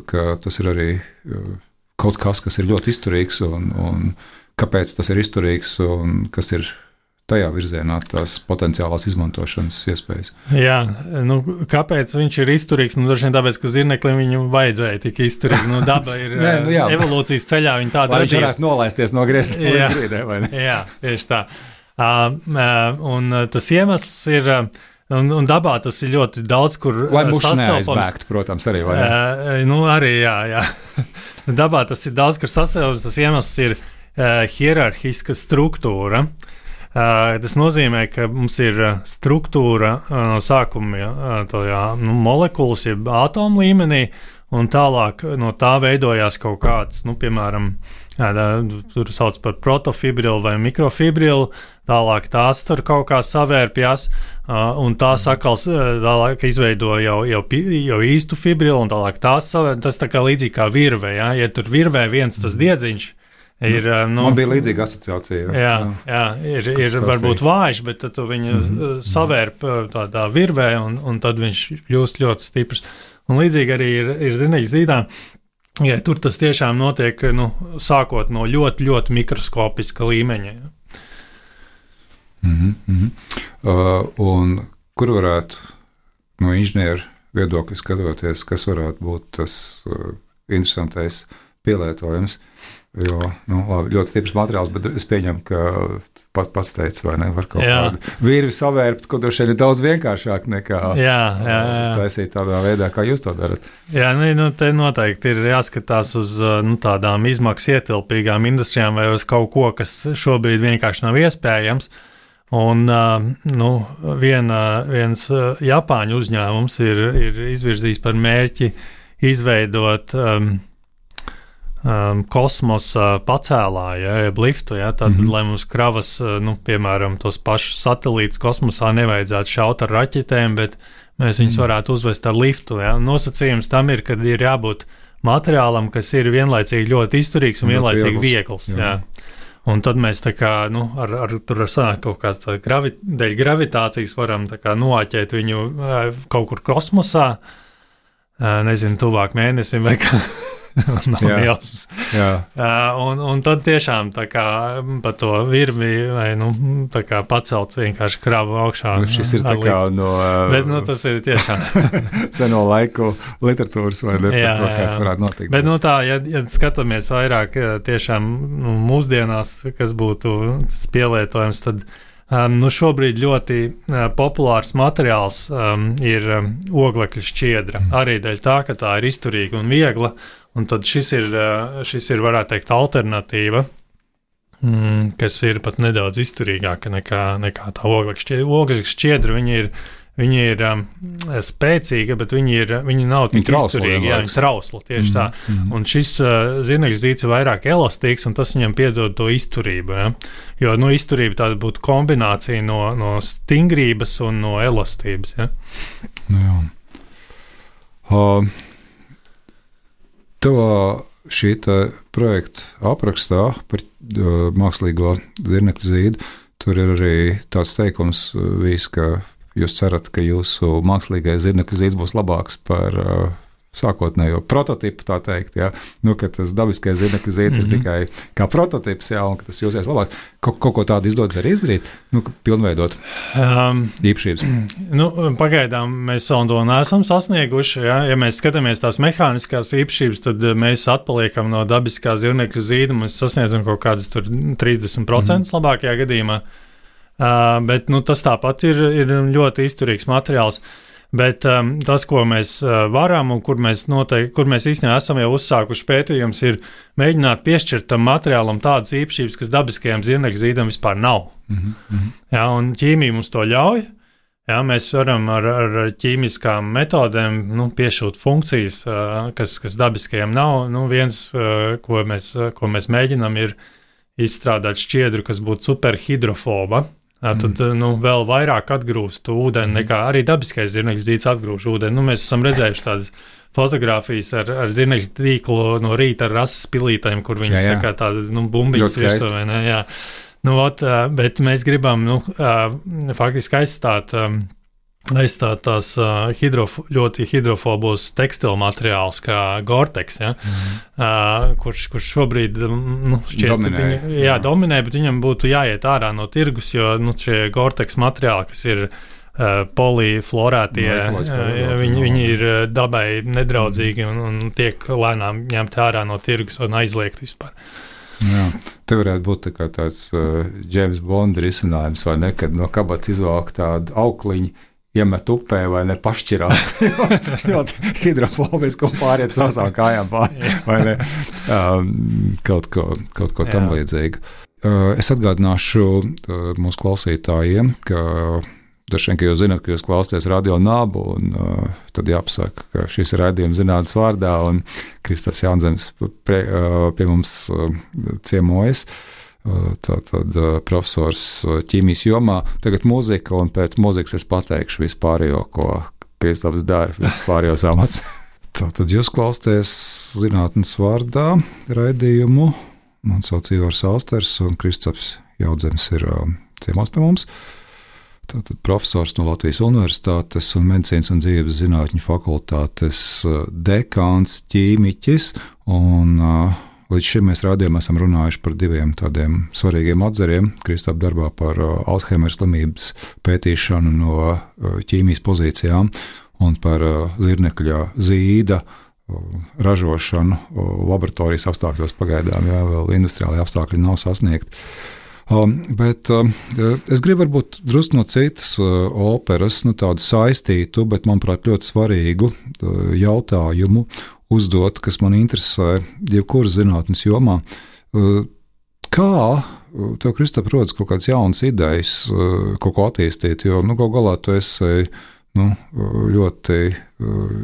ka tas ir arī kaut kas, kas ir ļoti izturīgs, un, un kāpēc tas ir izturīgs, un kas ir tajā virzienā tās potenciālās izmantošanas iespējas. Jā, nu, kāpēc viņš ir izturīgs? Nu, droši vien tāpēc, ka zirneklim viņu vajadzēja tik izturīgi. Nu, daba ir Nē, nu, jā. evolūcijas ceļā, viņa tāda radījās. Lai viņš varētu nolaisties no griezta līdz grīdē, vai ne? Jā, tieši tā. Uh, uh, un tas iemesls ir... Uh, Un, un dabā tas ir ļoti daudz, kur Lai muši neaizbēgtu, protams, arī, vai ne? Uh, nu, arī, jā, jā. Dabā tas ir daudz, kur sastāvs, tas iemesls ir uh, hierarhiska struktūra. Uh, tas nozīmē, ka mums ir struktūra uh, no sākuma uh, tajā, nu, molekulas, jeb ātomu līmenī, un tālāk no tā veidojās kaut kāds, nu, piemēram, jā, tur sauc par protofibrilu vai mikrofibrilu, tālāk tās tur kaut kā savērpjās, uh, un tās atkal tālāk izveido jau, jau, jau īstu fibrilu, un tālāk tās savērpjās, tas tā kā līdzīgi kā virvē, ja, ja tur virvē viens tas diedziņš, Ir, nu, Man bija līdzīga asociācija. Jā, jā ir, ir varbūt vājš, bet tad tu viņu mm-hmm. savērp tādā virvē, un, un tad viņš kļūst ļoti stiprs. Un līdzīgi arī ir, ir zinīgi zīdā, ja tur tas tiešām notiek, nu, sākot no ļoti, ļoti mikroskopiska līmeņa. Ja. Mm-hmm, mm-hmm. Uh, un kur varētu no inženieru viedokļa skatoties, kas varētu būt tas uh, interesantais pielietojums, jo, nu, labi, ļoti stiprs materiāls, bet es pieņemu, ka pat pats teica, vai ne, var kaut jā. kādu virvi savērpt, ko droši vien ir daudz vienkāršāk nekā jā, jā, jā. taisīt tādā veidā, kā jūs to darat. Jā, nu, nu te noteikti ir jāskatās uz nu, tādām izmaksas ietilpīgām industrijām vai uz kaut ko, kas šobrīd vienkārši nav iespējams. Un nu, viena, viens Japāņu uzņēmums ir, ir izvirzījis par mērķi izveidot um, um, kosmosa pacēlāju, ja, jeb liftu, ja, tad, mm-hmm. lai mums kravas, nu, piemēram, tos pašus satelītus kosmosā nevajadzētu šaut ar raķetēm, bet mēs viņus mm-hmm. varētu uzvest ar liftu. Ja. Nosacījums tam ir, kad ir jābūt materiālam, kas ir vienlaicīgi ļoti izturīgs un vienlaicīgi viegls. Jā. Jā. Un tad mēs tā kā, nu, ar, ar tur sanāk kaut kā tā gravi, dēļ gravitācijas varam tā kā noāķēt viņu kaut kur kosmosā, nezinu, tuvāk mēnesim vai kā. Nav jausmas. Jā. Un, un tad tiešām tā kā pa to virvi vai, nu, tā kā pacelt vienkārši kravu augšā. Nu, šis ir tā kā no... Bet, nu, tas ir tiešām... seno laiku literatūras vai ne, par to, kāds varētu notikt. Bet, nu, tā, ja, ja skatāmies vairāk tiešām nu, mūsdienās, kas būtu tas pielietojums, tad um, nu, šobrīd ļoti uh, populārs materiāls um, ir um, oglekļa šķiedra. Mm. Arī dēļ tā, ka tā ir izturīga un viegla. Un tad šis ir, šis ir, varētu teikt, alternatīva, mm, kas ir pat nedaudz izturīgāka nekā, nekā tā oglekļa šķiedra. Oglekļa šķiedra, viņi ir, viņi ir um, spēcīga, bet viņi, ir, viņi nav tik izturīgi, jā, viņi trausli, tieši mm-hmm. tā. Mm-hmm. Un šis uh, zirnekļa zīds ir vairāk elastīgs, un tas viņam piedod to izturību, ja? Jo, nu, izturība tāda būtu kombinācija no, no stingrības un no elastības, ja? Jā. Uh. Tavā šī projekta aprakstā par uh, mākslīgo zirnekļa zīdu, tur ir arī tāds teikums bijis, ka jūs cerat, ka jūsu mākslīgais zirnekļa zīds būs labāks par uh, sākotnējo prototipu, tā teikt, jā. Nu, ka tas dabiskais zirnekļa zīds mm-hmm. ir tikai kā prototips, jā, un ka tas jūsies labāks. Kaut, kaut ko tādu izdodas arī izdarīt, nu, pilnveidot um, īpašības? Nu, pagaidām mēs savu to neesam sasnieguši, jā. Ja mēs skatāmies tās mehāniskās īpašības, tad mēs atpaliekam no dabiskā zirnekļa zīda, mēs sasniedzam kaut kādas tur trīsdesmit procenti mm-hmm. labākajā gadījumā, uh, bet, nu, tas tāpat ir, ir ļoti izturīgs materiāls. Bet um, tas, ko mēs uh, varam un kur mēs, noteikti, kur mēs īstenībā esam jau uzsākuši pētījums, ir mēģināt piešķirt tam materiālam tādas īpašības, kas dabiskajam zirnekļa zīdam vispār nav. Mm-hmm. Jā, un ķīmija mums to ļauj. Jā, mēs varam ar, ar ķīmiskām metodēm nu, piešūt funkcijas, uh, kas, kas dabiskajam nav. Nu, viens, uh, ko, mēs, uh, ko mēs mēģinām, ir izstrādāt šķiedru, kas būtu superhidrofoba. Jā, tad nu, vēl vairāk atgrūst ūdeni, nekā arī dabiskais zirnekļa zīds atgrūž ūdeni. Nu, mēs esam redzējuši tādas fotogrāfijas ar, ar zirnekļa tīklu no rīta ar rases pilītēm, kur viņas jā, jā. tā kā tāda nu, bumbiņas virsū, vai ne? Jā. Nu, ot, bet mēs gribam nu, faktiski aizstāt, aizstāt tās hidrof, ļoti hidrofobos tekstilu materiāls kā Gore-Tex, ja? mm. uh, kurš, kurš šobrīd nu, šķiet, dominē, viņa, jā, jā. dominē, bet viņam būtu jāiet ārā no tirgus, jo nu, šie Gore-Tex materiāli, kas ir uh, poliflorētie, no, uh, viņi, viņi ir dabai nedraudzīgi un, un tiek lēnām ņemti ārā no tirgus un aizliegt vispār. Jā, te varētu būt tā kā tāds uh, James Bond risinājums, vai ne, kad no kabatas izvāk tādu aukliņu, iemet upē vai ne pašķirās, ļoti hidrofobiski un pāriet savām kājām pāri, vai ne, um, kaut ko, kaut ko tam līdzīgu. Uh, es atgādināšu uh, mūsu klausītājiem, ka dažiem, ka jūs zināt, ka jūs klausāties Radio Nabu, un uh, tad jāpasaka, ka šis ir raidījums zinātnes vārdā, un Kristofs Jānzems pie, uh, pie mums uh, ciemojas. Tātad profesors ķīmijas jomā, tagad mūzika, un pēc mūzikas es pateikšu vispārējo, ko Kristofs dara, vispārējos amats. Tātad jūs klausāties zinātnes vārdā raidījumu Man sauc Ivars Austers, un Kristaps Jaudzems ir uh, ciemos pie mums. Tātad profesors no Latvijas Universitātes un Medicīnas un dzīves zinātņu fakultātes dekāns, ķīmiķis, un uh, līdz šim mēs rādījumā esam runājuši par diviem tādiem svarīgiem atzariem Kristapa darbā par uh, Alzheimera slimības pētīšanu no uh, ķīmijas pozīcijām un par uh, zirnekļa zīda uh, ražošanu uh, laboratorijas apstākļos pagaidām, jā, vēl industriāli apstākļi nav sasniegti. Um, bet um, es gribu varbūt drusku no citas uh, operas, nu tādu saistītu, bet manuprāt ļoti svarīgu uh, jautājumu uzdot, kas man interesē jebkuras zinātnes jomā. Uh, kā uh, tev, Kristap, rodas kaut kādas jaunas idejas, uh, kaut ko attīstīt, jo nu, kaut galā tu esi nu, ļoti uh,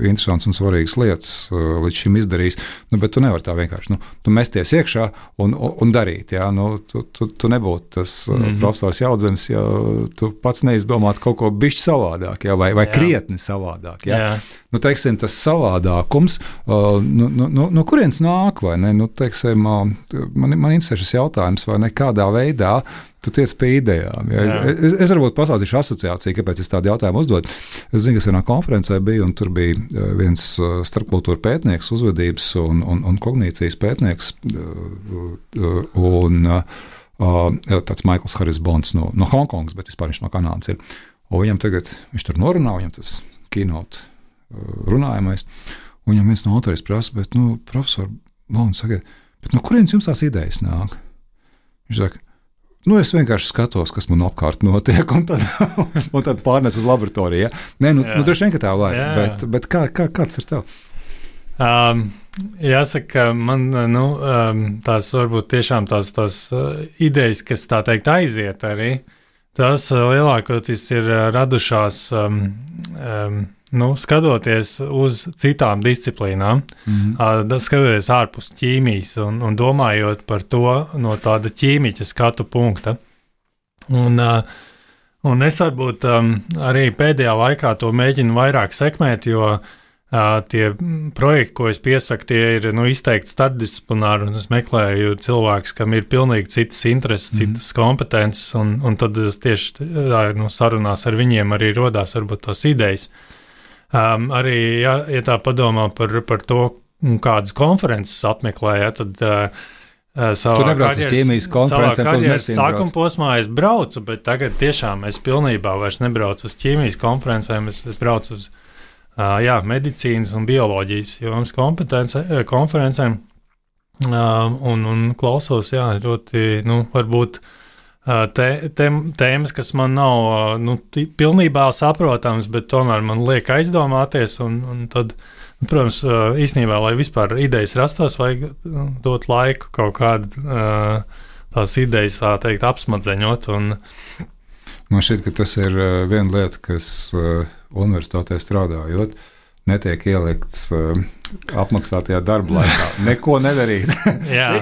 interesants un svarīgas lietas uh, līdz šim izdarījis, nu, bet tu nevari tā vienkārši nu, tu mesties iekšā un, un, un darīt. Jā, nu, tu, tu, tu nebūtu tas uh, mm-hmm. profesors Jaudzems, ja tu pats neizdomātu kaut ko bišķi savādāk, jā, vai, vai jā. krietni savādāk. Jā. Jā. Nu, teiksim, tas savādākums, uh, nu, nu, nu, no kurienes nāk, vai ne? Nu, teiksim, uh, man, man interesē šis jautājums, vai ne kādā veidā tu tiec pie idejām. Ja? Es, es, es varbūt pastāstīšu asociāciju, kāpēc es tādu jautājumu uzdodu. Es zinu, ka es vienā konferencē biju, un tur bija viens starpkultūra pētnieks, uzvedības un, un, un kognīcijas pētnieks, un tāds Maikls Haris Bonds no, no Hongkongas, bet vispār viņš no Kanādas ir. Un viņam tagad, viņš tur norunā, viņam tas keynote runājamais, un viņam viens no autoriem prasa, bet, nu, profesor Bonds, saka, bet no kurienes jums tās idejas nāk? Viņš saka, nu, es vienkārši skatos, kas man apkārt notiek, un tad, un tad pārnes uz laboratoriju. Ja? Nē, nu, nu droši vien, ka tā var, bet, bet kā, kā, kāds ir tev? Um, jāsaka, man nu, um, tās varbūt tiešām tās, tās uh, idejas, kas tā teikt aiziet arī, tās uh, lielākoties ir uh, radušās um, um, nu, skatoties uz citām disciplīnām, mm-hmm. uh, skatoties ārpus ķīmijas un, un domājot par to no tāda ķīmiķa skatu punkta. Un, uh, un es varbūt um, arī pēdējā laikā to mēģinu vairāk sekmēt, jo uh, tie projekti, ko es piesaku, tie ir nu, izteikti starpdisciplināri, un es meklēju cilvēkus, kam ir pilnīgi citas intereses, mm-hmm. citas kompetences, un, un tad es tieši nu, sarunās ar viņiem arī rodās varbūt tās idejas. Um, arī, ja, ja tā padomā par, par to, kādas konferences apmeklēja, tad uh, savā karjeras, savā karjeras sākuma posmā es braucu, bet tagad tiešām es pilnībā vairs nebraucu uz ķīmijas konferencēm, es, es braucu uz uh, jā, medicīnas un bioloģijas jomas konferencēm uh, un, un klausos, jā, ļoti, nu, varbūt Tē, tē, tēmas, kas man nav nu, pilnībā saprotams, bet tomēr man liek aizdomāties, un, un tad, nu, protams, īstenībā, lai vispār idejas rastos, vajag dot laiku kaut kādu tās idejas, tā teikt, apsmadzeņot. Un... Man šķiet, ka tas ir viena lieta, kas universitātē strādājot, netiek ielikts uh, apmaksātajā darba laikā. Neko nedarīt.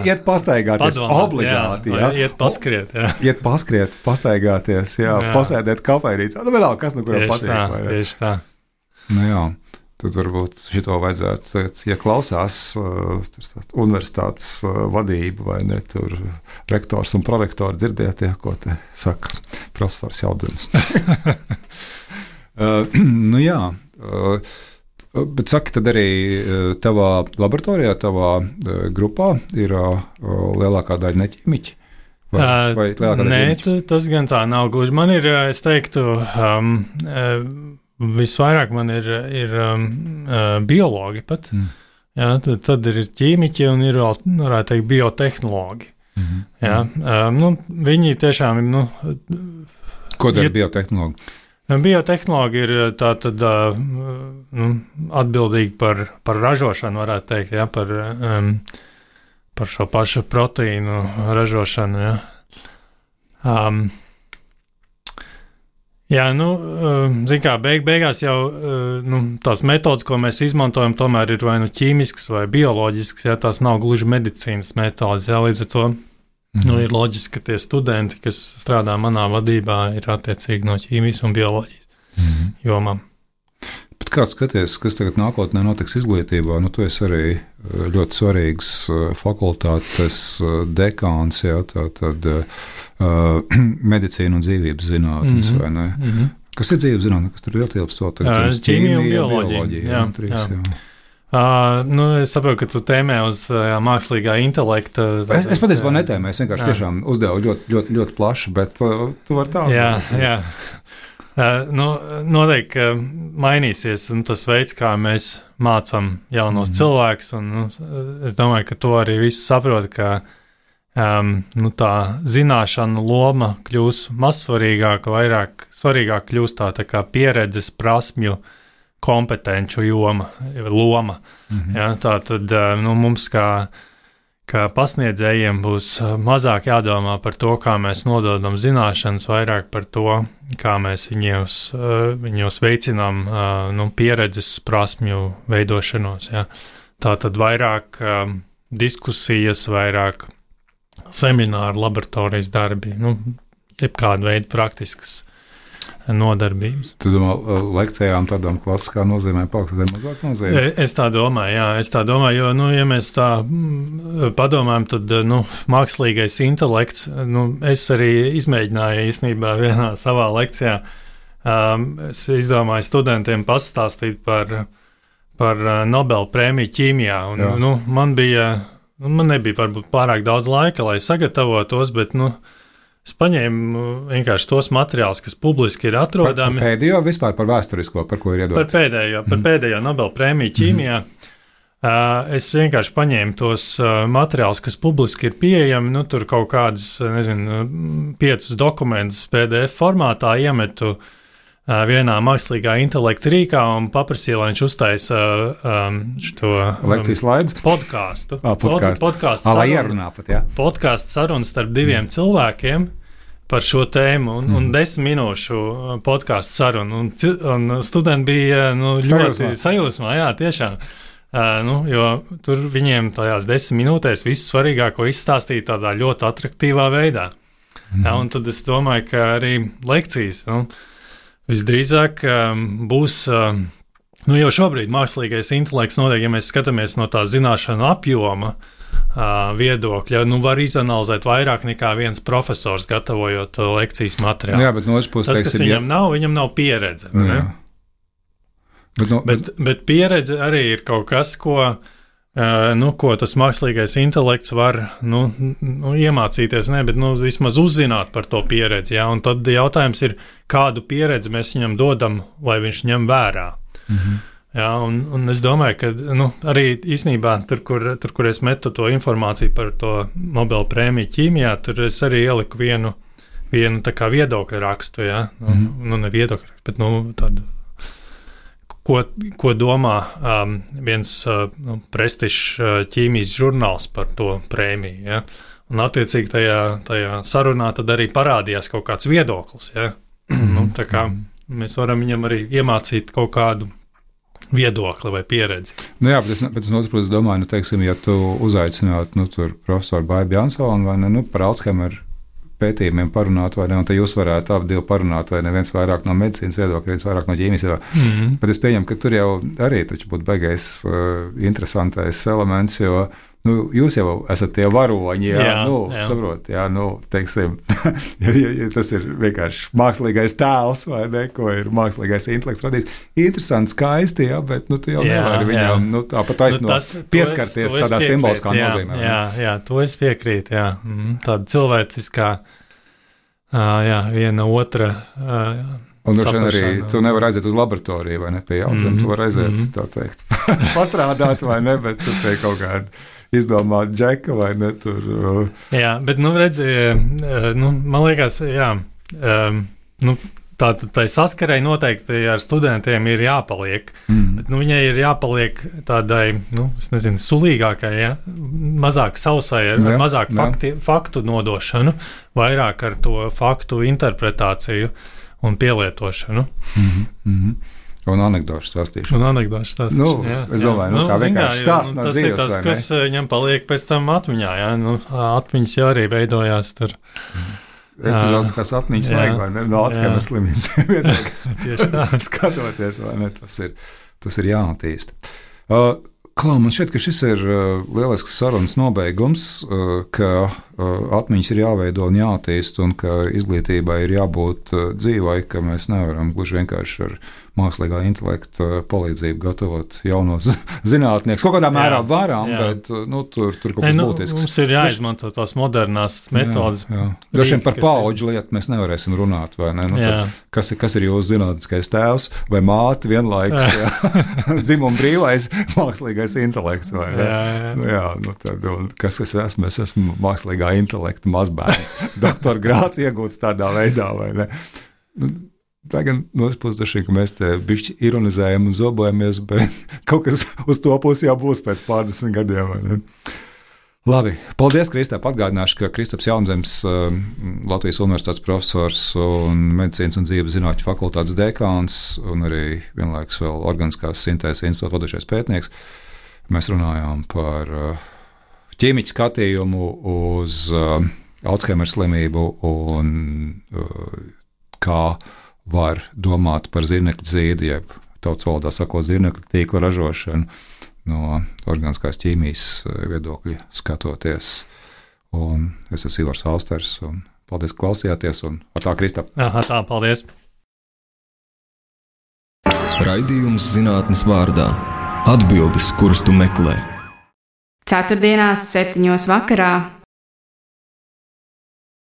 Iet pastaigāties Padomāt, obligāti. Jā, jā. Iet paskriet. Jā. Iet paskriet, pastaigāties, jā, jā. Pasēdēt kafejnīcā. Nu, vienalga, kas nu kuram patīk. Tā, vai, tieši tā. Nu jā, tad varbūt šito vajadzētu, ja klausās uh, universitātes uh, vadība vai ne, tur rektors un prorektori dzirdiet, ja, ko te saka profesors Jaudzems. uh, nu jā, uh, bet saki, tad arī tavā laboratorijā, tavā grupā ir lielākā daļa neķīmiķi? Vai, vai lielākā Nē, daļa tas gan tā nav gluži. Man ir, es teiktu, um, visvairāk man ir, ir um, biologi pat. Mm. Jā, tad, tad ir ķīmiķi un ir, varētu teikt, biotehnologi. Mm-hmm. Jā, um, nu, viņi tiešām ir, nu... Ko dara biotehnologi? Biotehnologi ir tā tad nu, atbildīgi par, par ražošanu, varētu teikt, ja, par, um, par šo pašu proteīnu ražošanu. Ja. Um, jā, nu, zin kā, beig, beigās jau nu, tās metodas, ko mēs izmantojam, tomēr ir vai nu ķīmiskas vai bioloģiskas, ja, tās nav gluži medicīnas metodas, ja, līdz ar to. Mm-hmm. Nu, ir loģiski, ka tie studenti, kas strādā manā vadībā, ir attiecīgi no ķīmijas un bioloģijas mm-hmm. jomām. Bet Kā tu skaties, kas tagad nākotnē notiks izglītībā? Nu, tu esi arī ļoti svarīgs fakultātes dekāns, jā, tā tad uh, medicīna un dzīvības zinātnes, mm-hmm. vai ne? Mm-hmm. Kas ir dzīvības zinātne, kas tur ietilpst vēl tagad? Ķīmija un bioloģija. bioloģija jā, jā, trīs, jā. jā. Uh, nu, es saprotu, ka tu tēmē uz uh, mākslīgā intelekta. Tā, es es patiesībā netēmēju, es vienkārši jā. tiešām uzdevu ļoti, ļoti, ļoti plaši, bet uh, tu vari tā. Jā, jā. Uh, nu, noteikti, ka mainīsies un tas veids, kā mēs mācām jaunos mm. cilvēkus, un nu, es domāju, ka to arī visi saprot, ka um, nu, tā zināšana loma kļūs mazsvarīgāka, vairāk svarīgāk kļūs tā, tā kā pieredzes, prasmju, kompetenču joma, loma. Mm-hmm. Ja, tā tad nu, mums kā, kā pasniedzējiem būs mazāk jādomā par to, kā mēs nododam zināšanas, vairāk par to, kā mēs viņos, viņos veicinām nu, pieredzes prasmju veidošanos. Ja. Tā tad vairāk diskusijas, vairāk semināru, laboratorijas darbi, nu, jebkāda veida praktiskas nodarbības. Tu domā, lekcijām tādām klasiskā nozīmē paaugstināt mazāk nozīmē? Es tā domāju, jā, es tā domāju, jo, nu, ja mēs tā padomājam, tad, nu, mākslīgais intelekts, nu, es arī izmēģināju īstenībā vienā savā lekcijā, um, es izdomāju studentiem pastāstīt par, par Nobel prēmiju ķīmijā, un, jā. nu, man bija, man nebija varbūt pārāk daudz laika, lai sagatavotos, bet, nu, es paņēmu vienkārši tos materiālus, kas publiski ir atrodami. Par pēdējo vispār par vēsturisko, par ko ir iedots? Par pēdējo, par mm. pēdējo Nobel prēmiju ķīmijā. Mm. Uh, es vienkārši paņēmu tos uh, materiālus, kas publiski ir pieejami, nu tur kaut kādus, nezinu, piecus dokumentus P D F formātā iemetu uh, vienā mākslīgā intelekta rīkā un paprasīju, lai viņš uztaisa um, šo lekcijas slaidus podkāstu. Ah, podkāstu. Podkāstu ah, lai ierunā pat, jā. Podkāstu sarunu starp diviem mm. cilvēkiem par šo tēmu un, mm. un desmit minūšu podkāstu sarunu. Un, un studenti bija nu, ļoti sajūsmā, jā, tiešām. Uh, nu, jo tur viņiem tajās desmit minūtēs visu svarīgāko izstāstīja tādā ļoti atraktīvā veidā. Mm. Ja, un tad es domāju, ka arī lekcijas, nu, visdrīzāk um, būs, um, nu jau šobrīd mākslīgais intelekts notiek, ja mēs skatāmies no tā zināšanu apjoma uh, viedokļa, nu var izanalizēt vairāk nekā viens profesors gatavojot uh, lekcijas materiālu. Nu jā, bet no otras puses, tas, teiksim, kas viņam ja... nav, viņam nav pieredze. Nu, jā. Bet, no, bet, bet pieredze arī ir kaut kas, ko, uh, nu, ko tas mākslīgais intelekts var nu, nu, iemācīties, ne, bet nu, vismaz uzzināt par to pieredzi. Ja? Un tad jautājums ir, kādu pieredzi mēs viņam dodam, lai viņš ņem vērā. Mm-hmm. Ja? Un, un es domāju, ka nu, arī īstenībā tur kur, tur, kur es metu to informāciju par to Nobel prēmiju ķīmijā, tur es arī ieliku vienu, vienu tā kā viedokļa rakstu. Ja? Nu, mm-hmm. nu, ne viedokļa rakstu, bet nu, tādu. Ko, ko domā um, viens uh, nu, prestižs uh, ķīmijas žurnāls par to prēmiju. Ja? Un attiecīgi tajā, tajā sarunā tad arī parādījās kaut kāds viedoklis. Ja? nu, tā kā mēs varam viņam arī iemācīt kaut kādu viedokli vai pieredzi. Nu jā, bet es, bet es no otras puses domāju, nu, teiksim, ja tu uzaicinātu nu, tur profesoru Baibu Jansonu vai ne, nu, par Alzheimer pētījumiem parunāt, vai ne, un te jūs varētu abi divi parunāt, vai ne, viens vairāk no medicīnas viedokļa, viens vairāk no ķīmijas viedokļa. Mm-hmm. Bet es pieņemu, ka tur jau arī taču būtu baigais uh, interesantais elements, jo, nu, jūs jau esat tie varoņi, jā, jā nu, jā. saprot, jā, nu, teiksim, ja, ja, ja tas ir vienkārši mākslīgais tēls, vai ne, ko ir mākslīgais intelekts radījis. Interesanti, skaisti, jā, bet, nu, tu jau jā, nevari viņam, jā. nu, tāpat taisno nu, tas, pieskarties es, tādā simboliskā jā, nozīmē. Jā, jā, to es piekrītu, jā. Mm, tāda cilvēciskā, uh, jā, viena otra uh, un droši vien arī tu nevari aiziet uz laboratoriju, vai ne, pie jauciem, mm, tu vari aiziet, mm. tā teikt, pastrādāt, vai ne, bet tu pie kaut kāda izdomāt džeka vai ne tur. Uh... Jā, bet, nu, redzi, nu, man liekas, jā, um, nu, tā, tā saskarei noteikti ar studentiem ir jāpaliek, mm. bet, nu, viņai ir jāpaliek tādai, nu, es nezinu, sulīgākai, ja, mazāk sausai, ar, jā, ar mazāk fakti, faktu nodošanu, vairāk ar to faktu interpretāciju un pielietošanu. Mm-hmm, mm-hmm. Un anekdošu stāstīšanu. Un anekdošu stāstīšanu, nu, jā. Es domāju, jā. nu, kā vienkārši stāst no tas dzīves, ir tas, kas viņam paliek pēc tam atmiņā, jā. Nu, atmiņas jau arī veidojās tur. Epizodiskās atmiņas vajag, vai ne? No Alzheimer slimības viedokļa. Tieši tā. Skatoties, vai ne? Tas ir, tas ir jāattīst. Uh, Klau, man šķiet, ka šis ir uh, lielisks sarunas nobeigums, uh, ka uh, atmiņas ir jāveido un jāattīst, un ka izglītībai ir jābūt uh, dzīvai, ka mēs nevaram gluži vienkārši ar mākslīgā intelekta palīdzību gatavot jaunos zinātniekus. Kaut kādā mērā jā, varam, jā. bet nu, tur, tur kaut kas nu, būtisks. Mums ir jāizmanto tās modernās metodas. Droši vien par paudžu lietu mēs nevarēsim runāt, vai ne? Nu, tad, kas, ir, kas ir jūsu zinātniskais tēvs vai māte vienlaikus? Dzimuma brīvais mākslīgais intelekts, vai ne? Jā, jā. Nu, jā, nu, tad, kas es esmu? Es esmu mākslīgā intelekta mazbērns. Doktora grāds iegūts tādā veidā, vai ne? Nu, tā gan no otras puses dažkārt, ka mēs te bišķi ironizējam un zobojamies, bet kaut kas uz to pusi jau būs pēc pārdesmit gadiem. Vai ne? Labi, paldies, Kristap. Atgādināšu, ka Kristaps Jaunzems, Latvijas Universitātes profesors un medicīnas un dzīves zinātņu fakultātes dekāns un arī vienlaikus vēl organiskās sintēzes institūta vadošais pētnieks. Mēs runājām par ķīmiķu skatījumu uz Alzheimer slimību un kā var domāt par zirnekļu zīdi, jeb tautas valodā sakot zirnekļu tīkla ražošanu no organiskās ķīmijas viedokļa skatoties. Un es esmu Ivars Alsters, un paldies, ka klausījāties, un ar tā, Kristap. Aha, tā, paldies. Raidījums zinātnes vārdā. Atbildes, kuras tu meklē. Ceturtdienās septiņos vakarā